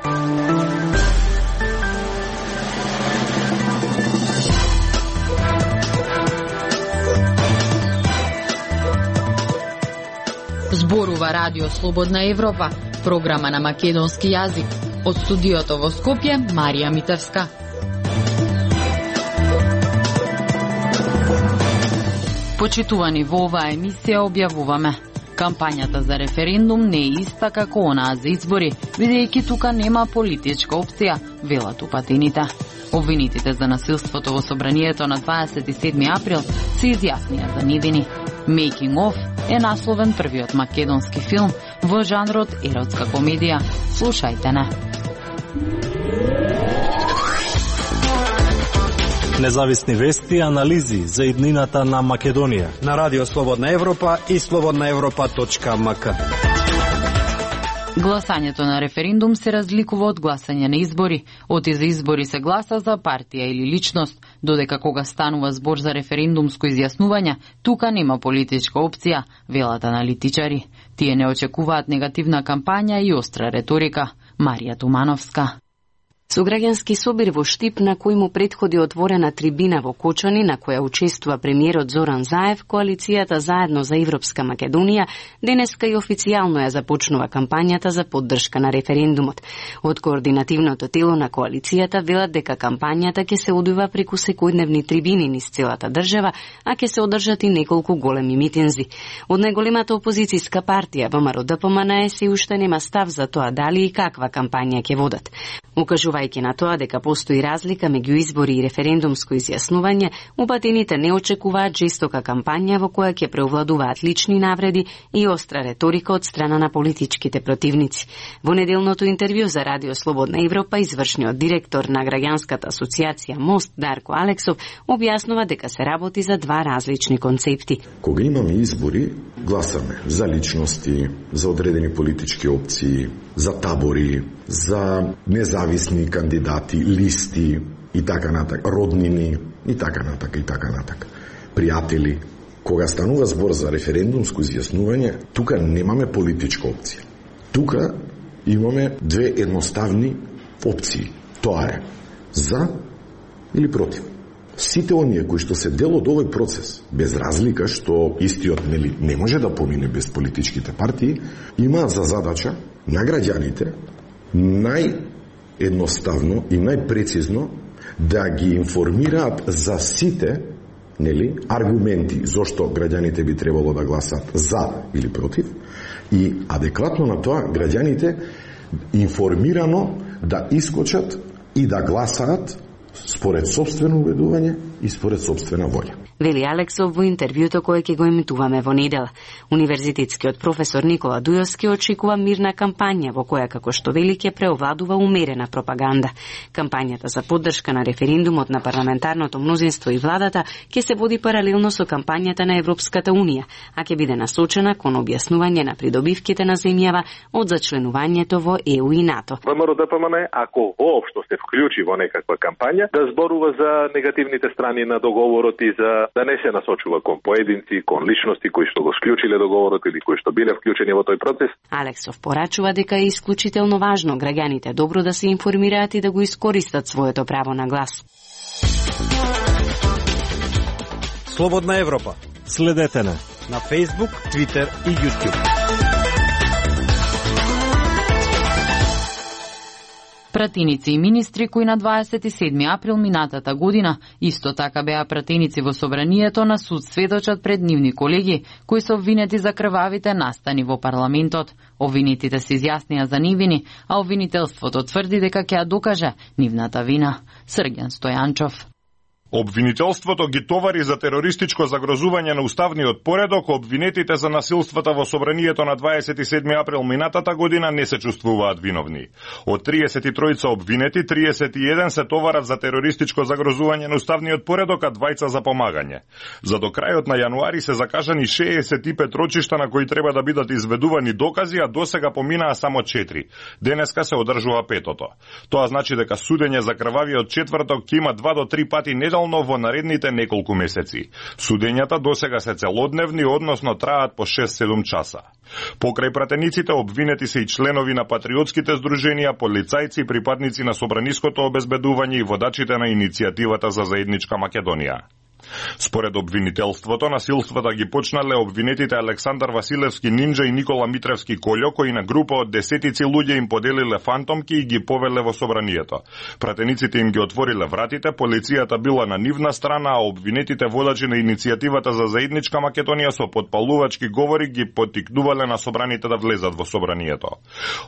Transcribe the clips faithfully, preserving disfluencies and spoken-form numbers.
Зборува Радио Слободна Европа, програма на македонски јазик. Од студиото во Скопје, Марија Митевска. Почитувани, во оваа емисија објавуваме: кампањата за референдум не е иста како онаа за избори, бидејќи тука нема политичка опција, велат упатените. Обвинетите за насилството во собранието на дваесет и седми април се изјаснија за невини. Making of е насловен првиот македонски филм во жанрот еротска комедија. Слушајте не. Независни вести и анализи за иднината на Македонија на Радио Слободна Европа и слободна европа точка ем ка. Гласањето на референдум се разликува од гласање на избори. Оти за избори се гласа за партија или личност, додека кога станува збор за референдумско изјаснување, тука нема политичка опција, велат аналитичари. Тие не очекуваат негативна кампања и остра реторика. Марија Тумановска. Со граѓански собир во Штип, на кој му претходи отворена трибина во Кочани, на која учествува премиерот Зоран Заев, коалицијата Заедно за Европска Македонија денеска и официјално ја започнува кампањата за поддршка на референдумот. Од координативното тело на коалицијата велат дека кампањата ќе се одвива преку секојдневни трибини низ целата држава, а ќе се одржат и неколку големи митинзи. Од најголемата опозицијска партија ВМРО Д П М Н се уште нема став за тоа дали и каква кампања ќе водат. Укажувајќи на тоа дека постои разлика меѓу избори и референдумско изјаснување, упатените не очекуваат жестока кампања во која ќе преовладуваат лични навреди и остра реторика од страна на политичките противници. Во неделното интервју за Радио Слободна Европа, извршниот директор на граѓанската асоциација Мост Дарко Алексов објаснува дека се работи за два различни концепти. Кога имаме избори, гласаме за личности, за одредени политички опции, за табори, за независни кандидати, листи и така натака, роднини и така натака и така натака, пријатели. Кога станува збор за референдумско изјаснување, тука немаме политичка опција. Тука имаме две едноставни опции. Тоа е за или против. Сите оние кои што се дел од овој процес, без разлика што истиот нели не може да помине без политичките партии, имаат за задача на граѓаните наједноставно и најпрецизно да ги информираат за сите нели аргументи зошто граѓаните би требало да гласат за или против и адекватно на тоа граѓаните информирано да искочат и да гласаат според собствено убедување и според собствена волја. Вели Алексов во интервјуто кое ќе го емитуваме во недела. Универзитетскиот професор Никола Дујовски очекува мирна кампања во која, како што вели, ќе преовладува умерена пропаганда. Кампањата за поддршка на референдумот на парламентарното мнозинство и владата ќе се води паралелно со кампањата на Европската унија, а ќе биде насочена кон објаснување на придобивките на земјава од зачленувањето во Е У и НАТО. ВМРО Д П М Н, ако воопшто се вклучи во некаква кампања, да зборува за негативните страни на договорот и за да не се насочува кон поединци, кон личности кои што го склучиле договорот или кои што биле вклучени во тој процес. Алексов порачува дека е исклучително важно граѓаните добро да се информираат и да го искористат своето право на глас. Слободна Европа. Следете на на Facebook, Twitter и YouTube. Пратеници и министри кои на дваесет и седми април минатата година исто така беа пратеници во собранието на суд сведочат пред нивни колеги кои се обвинети за крвавите настани во парламентот. Обвинетите се изјаснија за невини, а обвинителството тврди дека ќе ја докаже нивната вина. Срѓан Стојанчов. Обвинителството ги товари за терористичко загрозување на уставниот поредок, обвинетите за насилствата во собранието на дваесет и седми април минатата година не се чувствуваат виновни. Од триесет и тројца обвинети, триесет и еден се товарат за терористичко загрозување на уставниот поредок, а двајца за помагање. За до крајот на јануари се закажани шеесет и пет рочишта на кои треба да бидат изведувани докази, а досега поминаа само четири. Денеска се одржува петото. Тоа значи дека судење за крвавиот четврток ќе има два до три пати не неделно во наредните неколку месеци. Судењата досега се целодневни, односно траат по шест-седум часа. Покрај пратениците обвинети се и членови на патриотските здруженија, полицајци, припадници на собраниското обезбедување и водачите на иницијативата за заедничка Македонија. Според обвинителството, насилствата ги почнале обвинетите Александар Василевски Нинджа и Никола Митревски Колјо, кои на група од десетици луѓе им поделиле фантомки и ги повеле во собранието. Пратениците им ги отвориле вратите, полицијата била на нивна страна, а обвинетите водачи на иницијативата за заедничка Македонија со подпалувачки говори ги поттикнувале на собраните да влезат во собранието.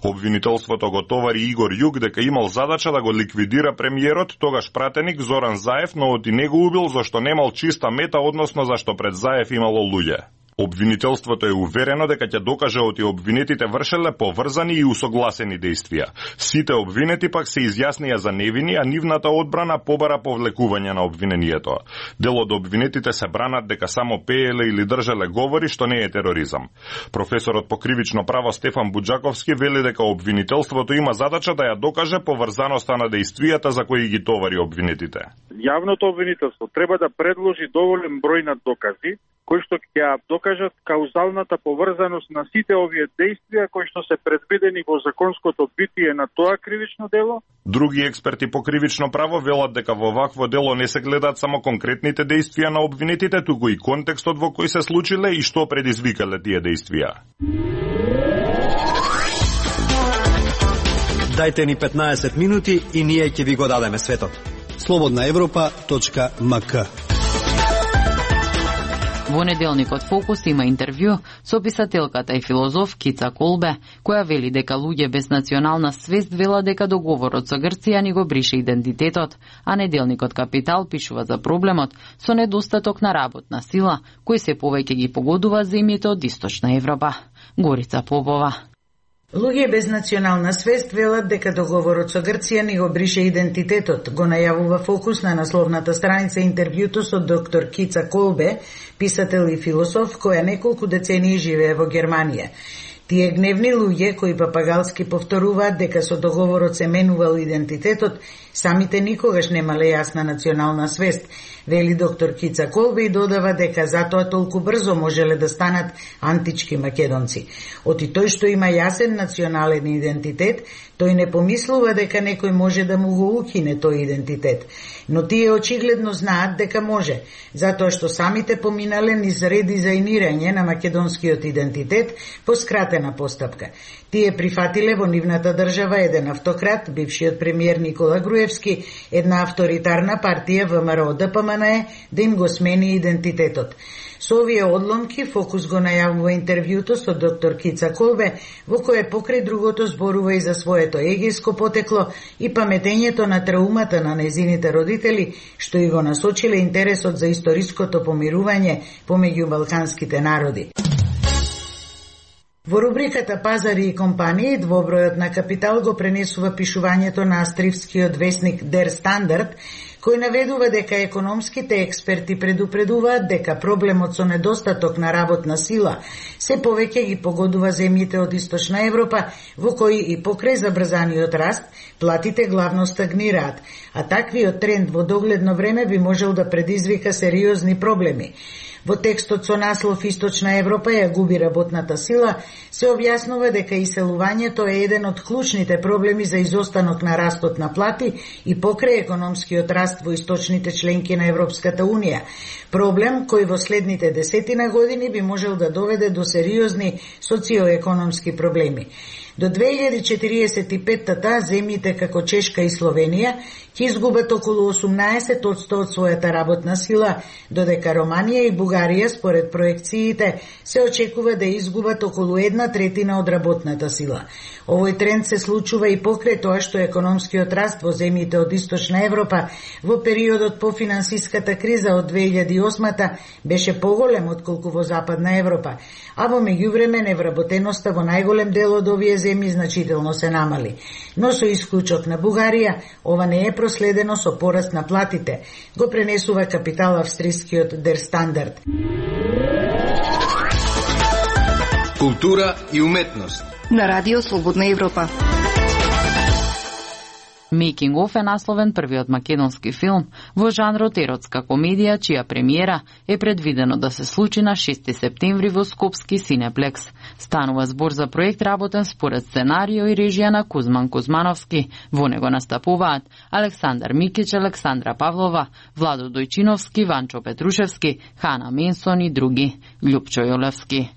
Обвинителството го товари Игор Јук дека имал задача да го ликвидира премиерот, тогаш пратеник Зоран Заев, но од и него убил зашто немал чиста мета, односно зашто пред Заев имало луѓе. Обвинителството е уверено дека ќе докаже оти обвинетите вршеле поврзани и усогласени дејствија. Сите обвинети пак се изјаснија за невини, а нивната одбрана побара повлекување на обвинението. Дел од обвинетите се бранат дека само пееле или држеле говори, што не е тероризам. Професорот по кривично право Стефан Буџаковски вели дека обвинителството има задача да ја докаже поврзаноста на дејствијата за кои ги товари обвинетите. Јавното обвинителство треба да предложи доволен број на докази кои што ќе докажат каузалната поврзаност на сите овие дејствија кои што се предвидени во законското битие на тоа кривично дело. Други експерти по кривично право велат дека во вакво дело не се гледаат само конкретните дејствија на обвинетите, туку и контекстот во кој се случиле и што предизвикале тие дејствија. Дајте ни петнаесет минути и ние ќе ви го дадеме светот. слободна европа точка ем ка. Во неделникот Фокус има интервју со писателката и филозоф Кица Колбе, која вели дека луѓе без национална свест велат дека договорот со Грција ни го брише идентитетот, а неделникот Капитал пишува за проблемот со недостаток на работна сила, кој се повеќе ги погодува земјите од Источна Европа. Горица Попова. Луѓе без национална свест велат дека договорот со Грција ни го брише идентитетот, го најавува Фокус на насловната страница интервјуто со доктор Кица Колбе, писател и философ која неколку децении живее во Германија. Тие гневни луѓе кои папагалски повторуваат дека со договорот се менувал идентитетот, самите никогаш немале јасна национална свест, вели доктор Кица Колбе и додава дека затоа толку брзо можеле да станат антички македонци. Оти тој што има јасен национален идентитет, тој не помислува дека некој може да му го укине тој идентитет. Но тие очигледно знаат дека може, затоа што самите поминале низ редизајнирање на македонскиот идентитет по скратена постапка. Тие прифатиле во нивната држава еден автократ, бившиот премиер Никола Груевски, една авторитарна партија ВМРО Д П М Н Е, да им го смени идентитетот. Со овие одломки Фокус го најавува интервјуто со доктор Кица Колбе, во кое покрај другото зборува и за своето егејско потекло и паметењето на траумата на незините родители, што и го насочиле интересот за историското помирување помеѓу балканските народи. Во рубриката Пазари и компании, двобројот на Капитал го пренесува пишувањето на австријскиот весник Der Standard, кој наведува дека економските експерти предупредуваат дека проблемот со недостаток на работна сила се повеќе ги погодува земјите од Источна Европа, во кои и покрај забрзаниот раст, платите главно стагнираат, а таквиот тренд во догледно време би можел да предизвика сериозни проблеми. Во текстот со наслов Источна Европа ја губи работната сила, се објаснува дека иселувањето е еден од клучните проблеми за изостанок на растот на плати и покрај економскиот раст во источните членки на Европската Унија. Проблем кој во следните десетина години би можел да доведе до сериозни социоекономски проблеми. До две илјади четириесет и петта земјите како Чешка и Словенија ќе изгубат околу осумнаесет одсто од својата работна сила, додека Романија и Бугарија според проекциите се очекува да изгубат околу една третина од работната сила. Овој тренд се случува и покрај тоа што економскиот раст во земјите од Источна Европа во периодот по финансиската криза од две илјади и осма беше поголем отколку во Западна Европа, а во меѓувреме невработеноста во најголем дел од овие земји значително се намали. Но со исклучок на Бугарија, ова не е проследено со пораст на платите, го пренесува Капитал австрискиот Der Standard. Култура и уметност на Радио Слободна Европа. Making of е насловен првиот македонски филм во жанрот еротска комедија, чија премиера е предвидено да се случи на шести септември во Скопски Синеплекс. Станува збор за проект работен според сценарио и режија на Кузман Кузмановски. Во него настапуваат Александар Микич, Александра Павлова, Владо Дојчиновски, Ванчо Петрушевски, Хана Менсон и други. Љупчо Јолевски.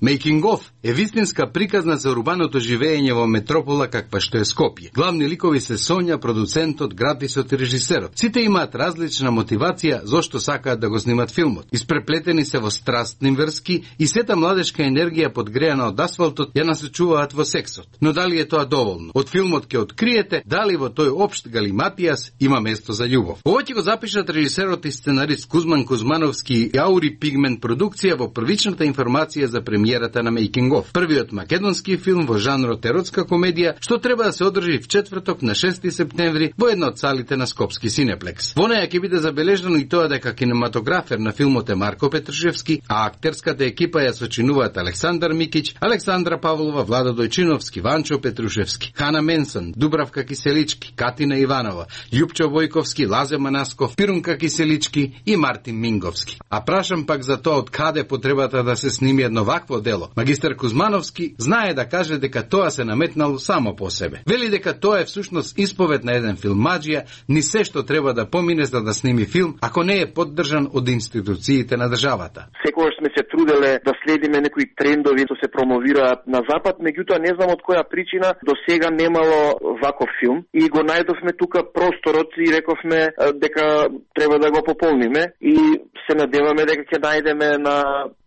Making of е вистинска приказна за урбаното живење во метропола каква што е Скопје. Главни ликови се Сонја, продуцентот, графисот и режисерот. Сите имаат различна мотивација зошто сакаат да го снимат филмот. Испреплетени се во страстни врски и сета младешка енергија подгреана од асфалтот ја насочуваат во сексот. Но дали е тоа доволно? Од филмот ќе откриете дали во тој општ галиматијас има место за љубов. Ова ќе го запишат режисерот и сценарист Кузман Кузмановски и Аури Пигмент продукција во првичната информација за премиерата на Making of, првиот македонски филм во жанрот еротска комедија, што треба да се одржи в четврток на шести септември во една од салите на Скопски Синеплекс. Во неја ќе биде забележано и тоа дека кинематографер на филмот е Марко Петрушевски, а актерската екипа ја сочинуваат Александар Микич, Александра Павлова, Владо Дојчиновски, Ванчо Петрушевски, Хана Менсон, Дубравка Киселички, Катина Иванова, Љупчо Војковски, Лазе Манасков, Пирунка Киселички и Мартин Минговски. А прашам пак за тоа од каде потребата да се сними едно вакво дело. Магистар Кузмановски знае да каже дека тоа се наметнало само по себе. Вели дека тоа е всушност исповед на еден филмаџија, ни се што треба да помине за да сними филм, ако не е поддржан од институциите на државата. Секогаш сме се труделе да следиме некои трендови што се промовираат на запад, меѓутоа не знам од која причина до сега немало ваков филм и го најдовме тука просторот и рековме дека треба да го пополниме и се надеваме дека ќе најдеме на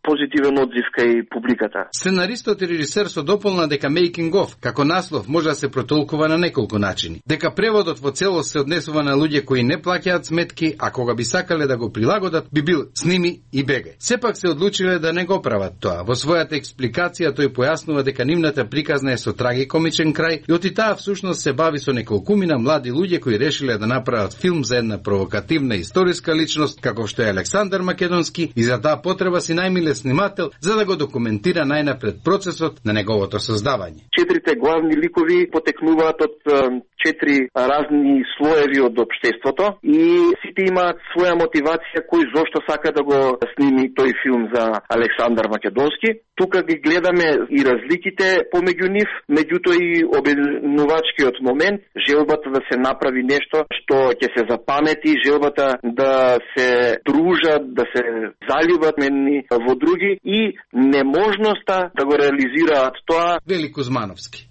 позитивен одзив кај публиката. Сценаристот и режисер со дополна дека Making of, како наслов, може да се протолкува на неколку начини. Дека преводот во целост се однесува на луѓе кои не плаќаат сметки, а кога би сакале да го прилагодат, би бил сними и бегај. Сепак се одлучиле да не го прават тоа. Во својата експликација тој појаснува дека нивната приказна е со трагикомичен крај и оти таа всушност се бави со неколкумина млади луѓе кои решиле да направат филм за една провокативна историска личност, како што е Александар Македонски, и за таа потреба си најмиле снимател за да го документира најнапред процесот на неговото создавање. Четирите главни ликови потекнуваат од четири разни слоеви од општеството и сите имаат своја мотивација кој зошто сака да го сними тој филм за Александар Македонски. Тука ги гледаме и разликите помеѓу нив, меѓутоа и обединувачкиот момент, желбата да се направи нешто што ќе се запамети, желбата да се дружат, да се заљубат едни во други и неможноста да го реализираат тоа. Вели Кузмановски.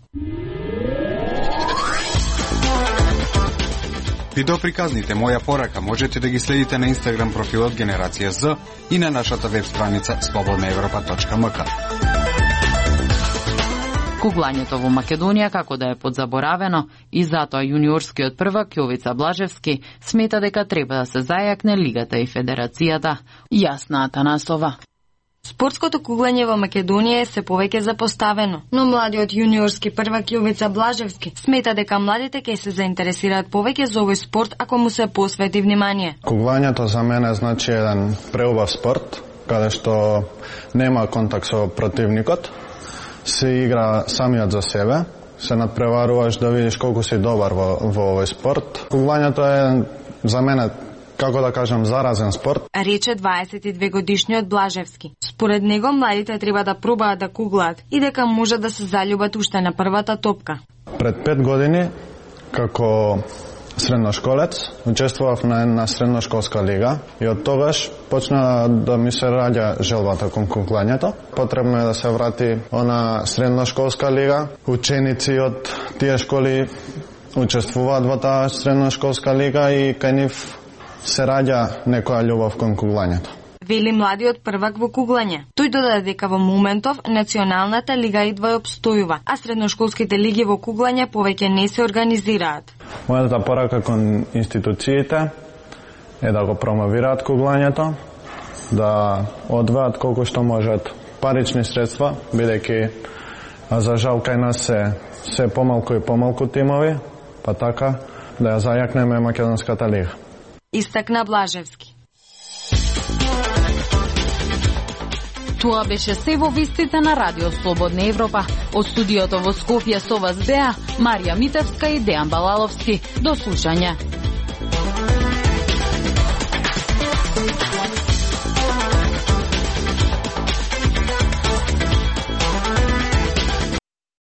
Видеоприказните Моја порака можете да ги следите на Инстаграм профилот Генерација З и на нашата веб страница слободна европа точка ем ка. Куглањето во Македонија како да е подзаборавено и затоа јуниорскиот првак Јовица Блажевски смета дека треба да се зајакне лигата и федерацијата. Јасна Атанасова. Спортското куглање во Македонија е се повеќе запоставено, но младиот јуниорски првак Јовица Блажевски смета дека младите ќе се заинтересираат повеќе за овој спорт ако му се посвети внимание. Куглањето за мене значи еден преубав спорт, каде што нема контакт со противникот, се игра самиот за себе, се надпреваруваш да видиш колку си добар во, во овој спорт. Куглањето е за мене, како да кажам, заразен спорт. Рече дваесет и две годишниот Блажевски. Според него младите треба да пробаат да куглаат и дека може да се заљубат уште на првата топка. Пред пет години, како средношколец, учествував на една средношколска лига и од тогаш почна да ми се раѓа желбата кон куглањето. Потребно е да се врати она средношколска лига. Ученици од тие школи учествуваат во таа средношколска лига и кај нив се раѓа некоја љубов кон куглањето. Вели младиот првак во куглање. Тој додаде дека во моментов националната лига идва и обстојува, а средношколските лиги во куглање повеќе не се организираат. Мојата порака кон институциите е да го промовираат куглањето, да одваат колку што можат парични средства, бидејќи за жал кај нас се се помалку и помалку тимови, па така да ја зајакнеме македонската лига. Истакна Блажевски. Тоа беше се во вестите на Радио Слободна Европа. Од студиото во Скопје со вас беа Марија Митевска и Дејан Балаловски. До слушање.